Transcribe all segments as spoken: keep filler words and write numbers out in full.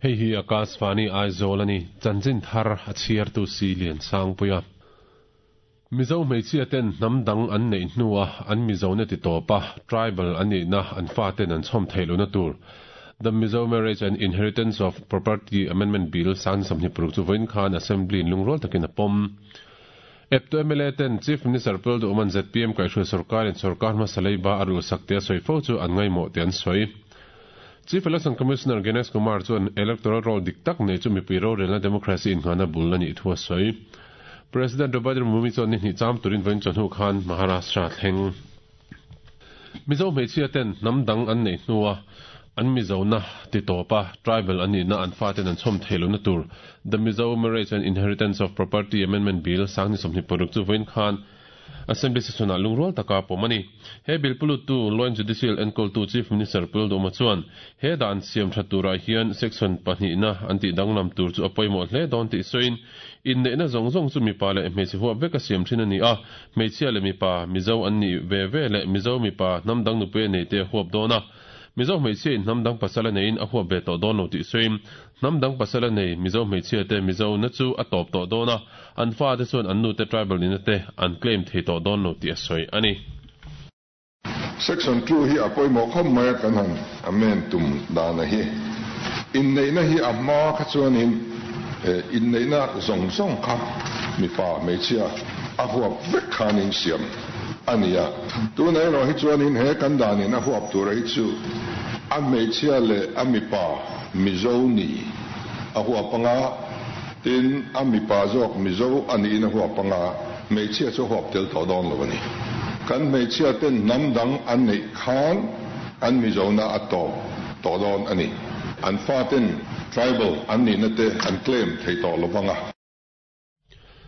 Hei hi Akashvani Aizawl ani chanchin thar a chhiar tu si lian sang puia. Mizo hmeichhia ten hnam dang an nei hnuah an Mizo na ti tawpa tribal an ni na an fa ten an chhawm theilo na tur. The Mizo Marriage and Inheritance of Property Amendment Bill san samni paruk chu voin khan Assembly in lungrol takin a pawm. Eptu M L A ten Chief Minister Pul du uman Z P M kai hruai sarkar in sarkar hmasa leiba a ru sak te a sawi fo chu an ngaimawh te an sawi. Chief Election Commissioner Gyanesh Kumar chuan electoral roll dik tak nei chu mipui rorelna democracy in nghana bul ani thu a sawi. President Draupadi Murmu chuan ni hnih cham turin vawiin chawhnu khan Maharashtra thleng. Mizo hmeichhia ten hnam dang an nei hnuah an Mizo na ti tawpa tribal an nihna an fa ten an chhawm theilo na tur The Mizo Marriage and Inheritance of Property Amendment Bill sang ni sawmhnih paruk chu vawiin khan Assembly session ah lungrual taka pawm a ni. He bill puluttu Law and Judicial enkawltu Chief Minister Puldawma chuan he dan siam tha turah hian section pahnihna an tih danglam tur chu a pawimawh hle dawn tih sawiin inneihna zawng zawng chu mipa leh hmeichhe huap vek a siam thin a ni a, hmeichhia leh mipa Mizo an nih ve ve leh Mizo mipa hnam dang nupui a nei te a huap dawn a. Mizo hmeichhia in hnam dang pasal a neiin a huap ve tawh dawn lo tih sawiin hnam dang pasal a nei Mizo hmeichhia te Mizo na chu a tawp tawh dawn a, an fa te chuan an nu te tribal nihna te an claim thei tawh dawn lo tih a sawi a ni. Section two hi a pawimawh khawp mai a, kan han amend tum dana hi inneihna hi a hma kha chuanin inneihna zawng zawng kha mipa hmeichhia a huap vek khanin siam a ni a, tunah erawh hi chuanin he kan danin a huap tura hi chu a hmeichhia leh a mipa Mizo ni a huap anga, tin a mipa zawk Mizo a niin a huap anga, hmeichhia chu huap tel tawh dawn lo a ni. Kan hmeichhia ten hnam dang an neih khan an Mizona a tawp tawh dawn a ni. An fa ten tribal an nihna te an claim thei tawh lo vang a.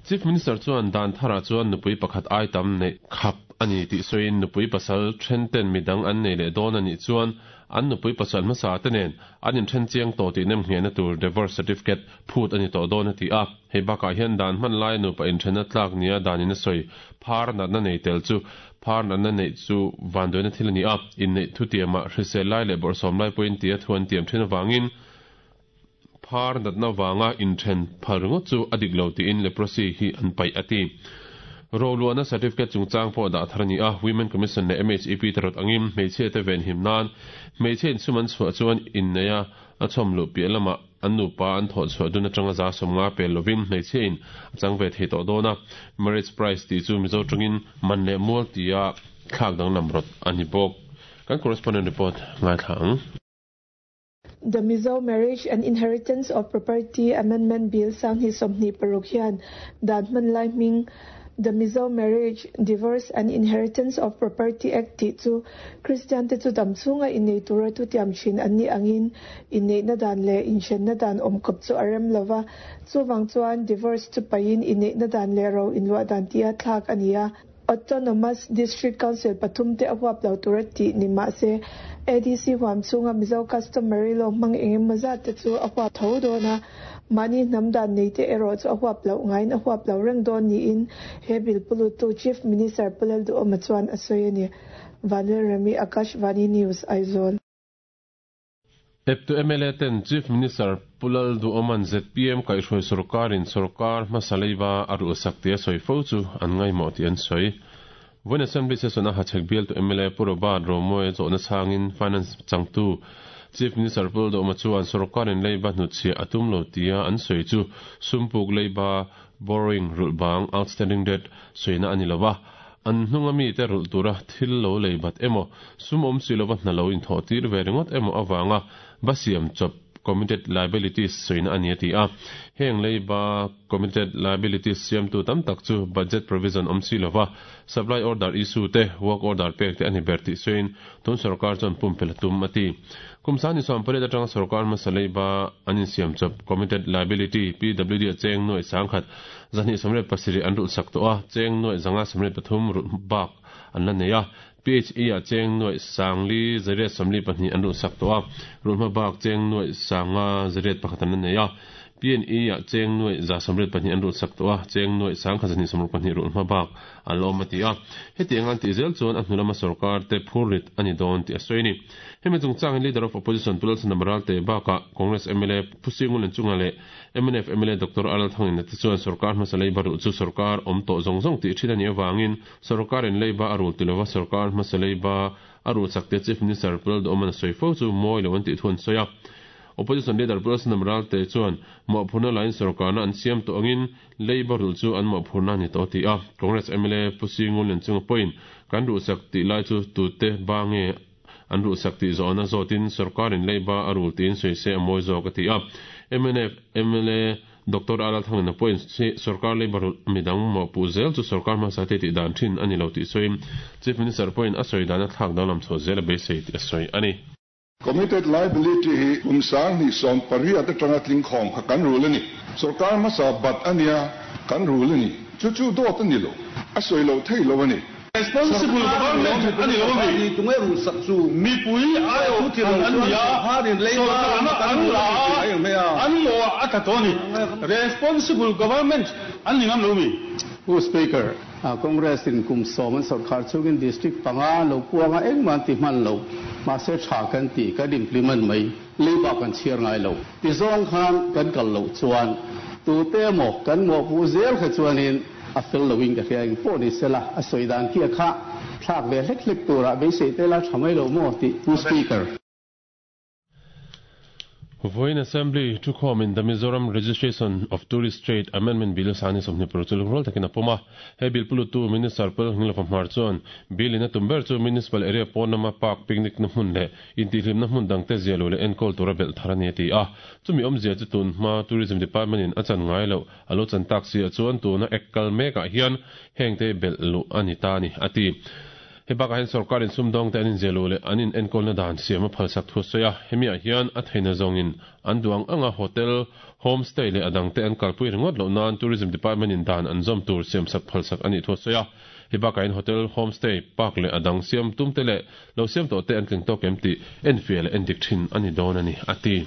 Chief Minister chuan dan tharah chuan nupui pakhat ai tam neih khap a ni tih sawiin nupui pasal then ten midang an nei leh dawn a nih chuan an nupui pasal hmasa te nen an inthen chiang tawh tih nemnghehna tur divorce certificate phut a ni tawh dawn a ti a. Hei bakah hian dan hman laia nupa inthenna tlak nia danin a sawi phar natna nei tel chu phar natna neih chu vanduaina thil a ni a, inneih thutiamah hrisel lai leh bawrhsawm lai pawhin tia thu an tiam thin avangin phar natna vanga inthen phal ringawt chu a dik lo tiin leprosy hi an paih a ti. Roluahna certificate chungchang pawh dah thar a ni a, Women Commission leh M H E P te rawt angin hmeichhia te venhim nan hmeichhe insum an chhuah chuan inneia a chhawm luh piah lamah an nupa an thawh chhuah dun atanga za sawmnga pel lovin hmeichhia in a chang ve thei tawh dawn a, marriage price tih chu Mizo tawngin man leh mual tia thlak danglam rawt a ni bawk. Kan correspondent report ngaithla ang. The Mizo Marriage and Inheritance of Property Amendment Bill sang hi sawmhnih paruk hian dan hman lai hming The Mizo Marriage, Divorce and Inheritance of Property Act tih chu Christian te chu dam chhunga innei tura thu tiam thin an ni angin inneihna dan leh inthenna dan awm kawp chu a rem lova, chuwang chuan divorce chu pain inneihna dan leh ro inluah dan tia thlak a ni a. Autonomous District Council pathum te a huap lo tura tih ni mah se A D C huam chunga Mizo customary law hmang engemaw zat te chu a huap tho dawn a, mahni hnam dan nei te erawh chu a huap loh ngaiin a huap lo reng dawn niin he bill pulutu Chief Minister Pu Lalduhoma chuan a sawi a ni. Vanlal Remi, Akashvani News, Aizawl. Eptu M L A ten Chief Minister Pu Lalduhoma'n Z P M kaihhruai sorkarin sorkar hmasa leiba a ruhsak tih a sawi fo chu an ngaimawh tih an sawi. Vawiin Assembly session a Hachhek bialtu M L A Pu Robert Romawia zawhna chhangin Finance changtu Chief Minister Pu Lalduhoma chuan sorkarin leiba hnutchhiah a tum lo tia an sawi chu sumpuk leiba borrowing rulh bang outstanding debt sawina a ni lova, an hnunga mi te rulh tura thil lo lei bat emaw sum awm si lova hna lo inthawh tir ve ringawt emaw awanga ba siam chawp committed liabilities sawina a ni a ti a. Heng leiba committed liabilities siamtu tam tak chu budget provision awm si lova supply order issue te work order pek te a ni ber tih sawiin tun sorkar chuan pumpelh a tum a ti. Kum sangni sawm pariat atanga sorkar hmasa leiba an insiam chawp committed liability P W D a cheng nuai sangkhat zahnih sawmriat pasarih an rulh sak tawh a, cheng nuai zanga sawmriat pathum rulh bak an la nei a. P H E a cheng nuai sangli zariat sawmli pahnih an rulh sak tawh a, rulh hma bak cheng nuai sanga zariat pakhat an la nei a. P N E a cheng nuai za sawmriat pahnih an rulh sak tawh a, cheng nuai sangkhat zahnih sawmruk pahnih rulh hma bak an la awm a ti a. Hetiang an tih zel chuan a hnu lama sorkar te phurrit a ni dawn tih a sawi a ni. Hemi chungchangin Leader of Opposition Pu Lalchhandama Ralte bakah Congress M L A Pu Singun Chunga leh M N F M L A Doctor Aral Thangin te chuan sorkar hmasa leiba rulh chu sorkar awm tawh zawng zawng tih thin a nih avangin sorkarin leiba a rul ti lova sorkar hmasa leiba a rulh sak te Chief Minister Pu Lalduhawman a sawi fo chu mawi lo an tih thu an sawi a. Opposition Leader Pu Lalchhandama Ralte chuan mawhphurhna lain sorkarna an siam tawh angin leiba rulh chu an mawhphurhna a ni tawh ti a. Congress M L A Pu Singun Chunga pawhin kan rulh sak tih lai chu tute ba nge an rulh sak tih zawhna zawtin sorkarin leiba a rul tiin sawi se a mawi zawk a ti a. M N F M L A Doctor Alal Thangin a pawhin sorkar leiba rulh midang mawhpuh zel chu sorkar hmasa te tih dan thin a ni lo tih sawiin Chief Minister pawhin a sawi dan a thlak danglam chho zel a beisei tih a sawi a ni. Committed liability hi kum sang hnih sawm pariat atanga tling khawm kha kan rul ani. Sorkar hmasa bat ania kan rul ani. Chu chu dawt ani lo. A sawi lo thei lo ani. Responsible government ani lo mi. Tunge rul sak chu? Mipui aio an nia, sorkarna an la an mo a tha to ni. Responsible government an ni ngam lo mi. Pu Speaker, Congress in kum sawm an sarkar chungin district panga lo puanga engman ti hman lo ma se tha kan ti kan implement mai leiba kan chhiar ngai lo ti zawng khan kan kal lo chuan tu te mo kan mo pu zel kha chuanin a fel lo in ka hria eng pawh ni sela a sawi dan khi a kha thlak ve hlek hlek tura beisei te la tha mai lo mo ti, Pu Speaker. Voin Assembly thu khawm in the Mizoram Registration of Tourist Trade Amendment Bill sani somni prochul rol takin apoma. He bill pulutu Minister Pul Ngilova Hmar chuan bill in a tumber chu municipal area pawnama park, picnic na hmun le intihlim na hmun dang te zialo le enkol tura bel tharani ti a. Chumi awmzia chu tun hma Tourism Department in a chan ngai lo alo chan tak si a chuan tuna ekal meka hian hengte bel lu ani ta ni ati. He baka hen sarkarin sumdawng te anin zelo le anin enkol na dan siam a phalsak thu soya. Hemi a hian a theina zawngin an duang anga hotel, homestay le adang te an kalpui ringot lo nan Tourism Department in dan an zom tur siam sak phalsak ani thu soya. He baka in hotel, homestay, park le adang siam tum te le lo siam to te an tling to kem ti en fiel en dik thin ani don ani ati.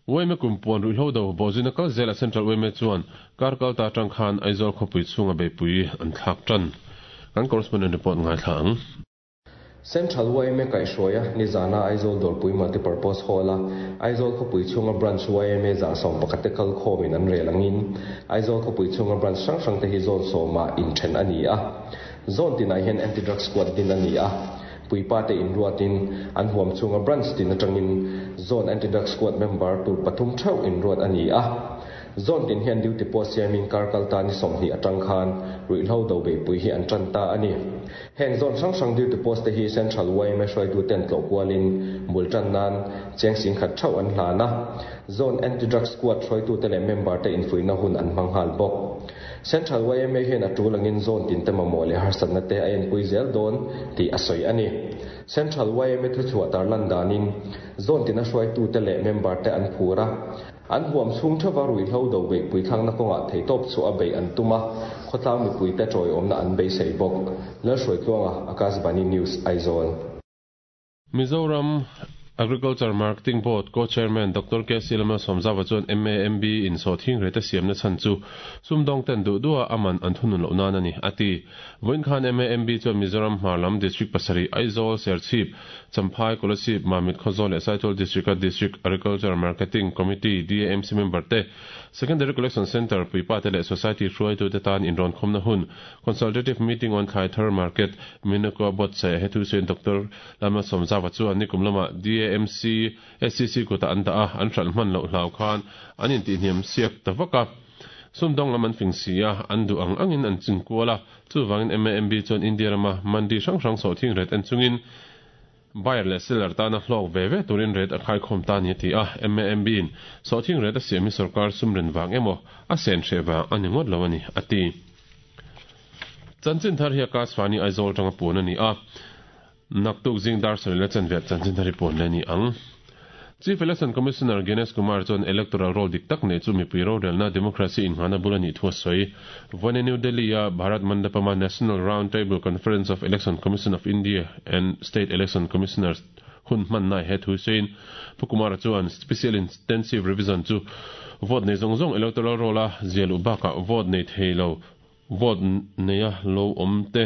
Y M A kumpuan ruihhlo do bozina kal zela Central Y M A chuan kar kal ta tang khan Aizawl khawpui chhunga beipui an thlak tan. Kan correspondent report ngai thlang. Central Y M A kaihhruaia nizana Aizawl Dawrpui Multipurpose Hall a Aizawl khawpui chhunga branch Y M A za sawm pakhat te kal khawmin an rel angin Aizawl khawpui chhunga branch hrang hrang te hi zone sawma inthen a ni a. Zone tinah hian anti-drug squad din a ni a. Puipa te inruatin an huam chhunga branch tin atangin zone anti-drug squad member tur pathum theuh inruat a ni a. Zone tin hian duty post siamin kar kal ta ni sawmhnih atang khan ruihhlo do beipui hi an tan ta ani. Heng zone hrang hrang duty post te hi Central Y M A hruaitu ten tlawh kualin bul tan nan cheng sing khat theuh an hlana. Zone anti-drug squad hruaitu te leh member te infuina hun an hmang hal bawk. Central Y M A hian a tulangin zone tin te mamawh leh harsatna te a enpui zel dawn tih a sawi ani. Central Y M A thu chhuah tarlan danin zone tin a hruaitu te leh member te an phura an huam chhung theuha ruihhlo do beipui thlakna kawngah theitawp chu a bei an tuma khawtlang mipui te tawiawmna an beisei bawk. Lalhruaitluanga, Akashvani News, Aizawl. Mizoram Agriculture Marketing Board Co-Chairman Doctor K C Lalmalsawmzauva chuan M A M B in sawhthing rate siamna chhan chu sumdawng ten duh duha aman an thunun loh nan ani ati. Voin khan M A M B chuan Mizoram Hmarlam District pasarih, Aizawl, Serchhip, Champhai, Kolasib, Mamit, Khawzawl leh Saitual District a District Agriculture Marketing Committee D A M C member te, Secondary Collection Center puipa te leh Society hruaitu te tan inrawn khawmna hun consultative meeting on thlai thar market Minako buatsaih he thu sawiin Doctor Lalmalsawmzauva chuan nikum lama D A M C S C C kuta an dah a an hralh hman loh hlau khan an intihhniam siak ta vak a. Sumdawng lam an fing si a, an duh ang angin an chingkual a. Chuwangin M A M B chuan India rama mandi hrang hrang sawhthing rate en chungin buyer leh seller tana hlawk ve ve turin rate a khai khawm ta ni ti a. M A M B in sawhthing rate a siam hi sarkar sumren wang emaw a sen hre wang ani ngawt lo ani ati. Chanchin thar hi Akashvani Aizawl tanga puan ani a. Naktuk zing dar sarih le chanve chanchin thar hi puan le ni ang. Chief Election Commissioner Gyanesh Kumar chuan electoral roll dik tak nei chu mipui rorelna democracy in hana bulani thu sawi. Voin New Delhi a Bharat Mandapama National Round Table Conference of Election Commission of India and State Election Commissioners hun hman nai he thu sein Pu Kumara chuan special intensive revision chu vote nei zong zong electoral roll a zialu baka vote nei theilo vote neia lo om te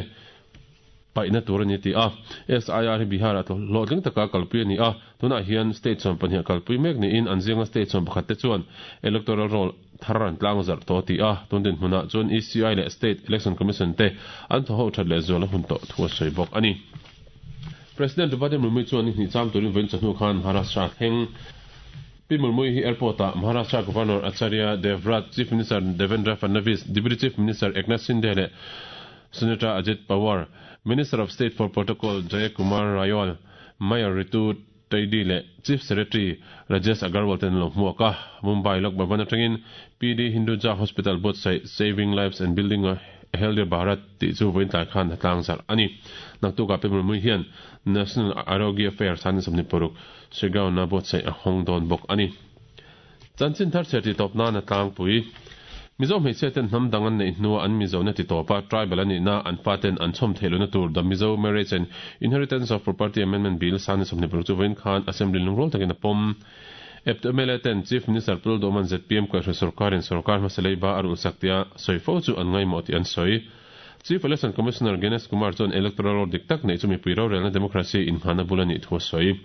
paina tur ani ti a S I R hi Bihar a lo tling taka kalpui ani a tuna hian state chon pahnih kalpui mek ni in an zinga state chon pakhat te chuan electoral roll tharan tlang zar to ti a tundin hmuna chuan E C I le State Election Commission te an tho ho that le zola hun to thua soi bok ani President Draupadi Murmu chuan ni cham turin voin chahnu khan Maharashtra thleng Pi Murmu hi airport a Maharashtra Governor Acharya Devvrat Chief Minister Devendra Fadnavis Deputy Chief Minister Eknath Shinde le Senator Ajit Pawar Minister of State for Protocol Jaya Kumar Rayol Mayor Ritu Taidi le Chief Secretary Rajesh Agarwal ten lo hmuaka Mumbai Lok Bhavan atangin P D Hinduja Hospital both sai Saving Lives and Building a Healthier Bharat ti chu voin tlai khan tlang zar ani naktu ka Pi Murmu hian National Arogya Fair san samni poruk Shregaon na both sai a hong don bok ani chanchin thar cheti top na na tlang pui Mizo hmeichhia ten hnam dang an nei hnua an Mizo na ti tawpa tribal ani na an paten an chhom theilo na tur the Mizo Marriage and Inheritance of Property Amendment Bill san samni poruk chu voin khan assembly lungrol takin a pom Epto M L A ten Chief Minister Pul Doman Z P M ko sarkar in sarkar masalei ba arul saktia soifo chu an ngai moti an soi Chief Election Commissioner Ganesh Kumar chuan electoral roll dik tak nei chumi puiro relna democracy in hana bulani thu soi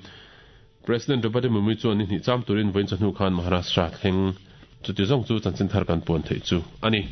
President Draupadi Murmu chuan ni cham turin voin chahnu khan Maharashtra thleng chuti zong chu chanchin thar kan pon thei chu ani.